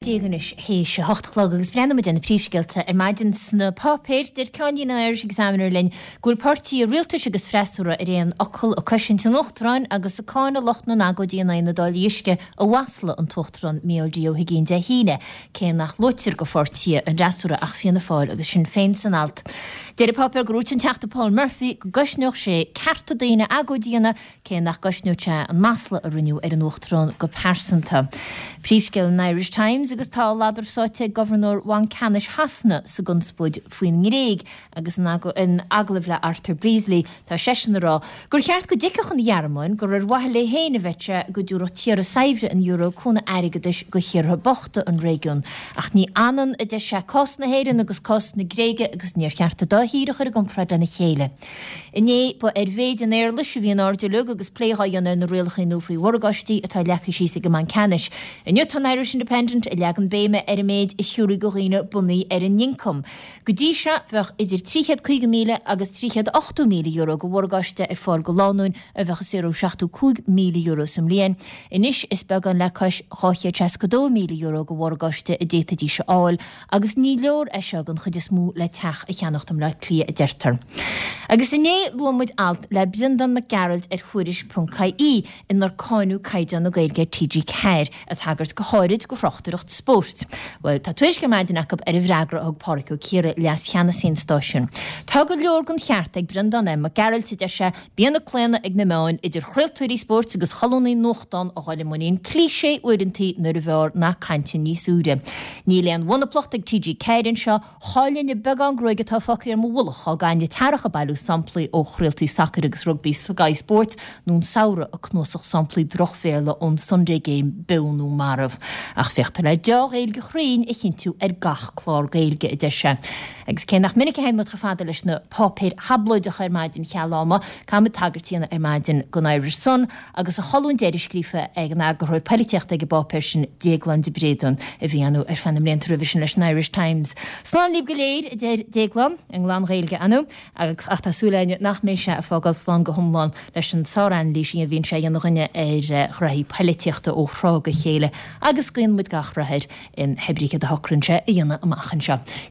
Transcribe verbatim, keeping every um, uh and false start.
Déag anois théis a hocht a chlog agus breathnóidh muid ar na príomhscéalta ar maidin sna páipéir. Deir ceannlíne an Irish Examiner linn go bhfuil páirtithe rialtais agus freasúra ar aon fhocal ag cosaint an Uachtaráin agus ag cáineadh lucht na n-agóidí in aghaidh na dtáillí uisce a mhaslaigh an tUachtarán Micheál D. Ó hUigínn Dé hAoine, cé nach luaitear do pháirtithe an fhreasúra ach Fianna Fáil agus Sinn Féin san alt. Deir an páipéar gur dhúirt an Teachta Paul Murphy go gcosnódh sé cearta daoine agóid a dhéanamh cé nach gcosnódh sé an masla a rinneadh ar an Uachtarán go pearsanta. Príomhscéal an Irish Times agus tá a ladar sáite ag Gobharnóir Bhanc Ceannais Shasana sa gconspóid faoin nGréig agus in agallamh le Arthur Beesley tá seisean ag rá gur cheart go dtuigfeadh an Ghearmáin gur ar mhaithe léi féin a bheadh sé go dtabharfadh tíortha saibhre an euro cúnamh airgeadais do thíortha bochta an réigiúin. Ach ní ionann, a deir sé, cás na hÉireann agus cás na Gréige agus níor cheart an dá thír a chur i gcomparáid lena chéile. Inné ba ar mhéid an éarlais a bhí an aird uilig agus plé dhá dhéanamh ar na rialacha nua faoi mhorgáistí atá leagtha síos ag an mBanc Ceannais. Inniu tá an Irish Independent ag leagan béime ar an méid a thiúrfaí do dhaoine bunaithe ar a n-ioncam. Go dtí seo bheadh idir trí chéad caoga míle agus trí chéad ochtó míle euro de mhorgáiste ar fáil do lánúin a bheadh ag saothrú seachtó cúig míle euro sa mbliain. Anois is beagán le cois dhá chéad seasca dó míle euro de mhorgáiste a d'fhéadfaidís a fháil agus ní leor é seo don chuid is mó le teach a cheannacht i mBleá Cliath a deirtear. Agus inné luaigh muid alt le Breandán Mac Gearailt ar Thuairisc ponc ie inar cáineadh caighdeán na Gaeilge ar T G ceathair, ag tagairt go háirid do thráchtaireacht spóirt. Bhuel, tá tuairisc ar maidin acu ar an bhfreagra a thug Pádraig Ó Ciaraidh, leas-cheannasaí an stáisiúin. Tá go leor den cheart ag Breandán M. Mac Gearailt, a deir sé, bíonn an claonadh ag na meáin, idir chraoltóirí spóirt agus cholúnaí nuachtán, a dhul i muinín cliché uaireanta nuair ab fhearr nath cainte níos úire. Níl aon mhonaplacht ag T G ceathair anseo, Chaillfinn an beagán gruaige atá fágtha ar mo mhullach dá gcaithfinn an t-earrach ag bailiú samplaí ó chraoltaí sacair agus rugbaí Sky Sports nó an samhradh ag cnuasach samplaí droch-Bhéarla ón Sunday Game, beo nó marbh. Ach féachtar le deá-Ghaeilge chruinn a chinntiú ar gach clár Gaeilge, a deir sé. Agus cé nach minic a théann muid chomh fada leis na páipéir thablóideacha ar maidin cheal ama, caithfimid tagairt a dhéanamh ar maidin don Irish Sun agus a cholún deiridh scríofa ag an eagarthóir poilitíochta ag an bpáipéar sin, Déaglán de Bréadún, a bhí ann ar feadh na mblianta roimhe sin leis an Irish Times. Slán libh go léir, a deir Déaglán, i nglan-Ghaeilge, ar ndóigh, ach tá súil againne nach mbeidh sé ag fágáil slán go hiomlán leis an sár-anailís a bhíonn sé a dhéanamh dhúinne ar ghraithí poilitíochta ó thráth go chéile, agus guíonn muid gach rath air in hébrí céard a shocraíonn sé a dhéanamh amach anseo.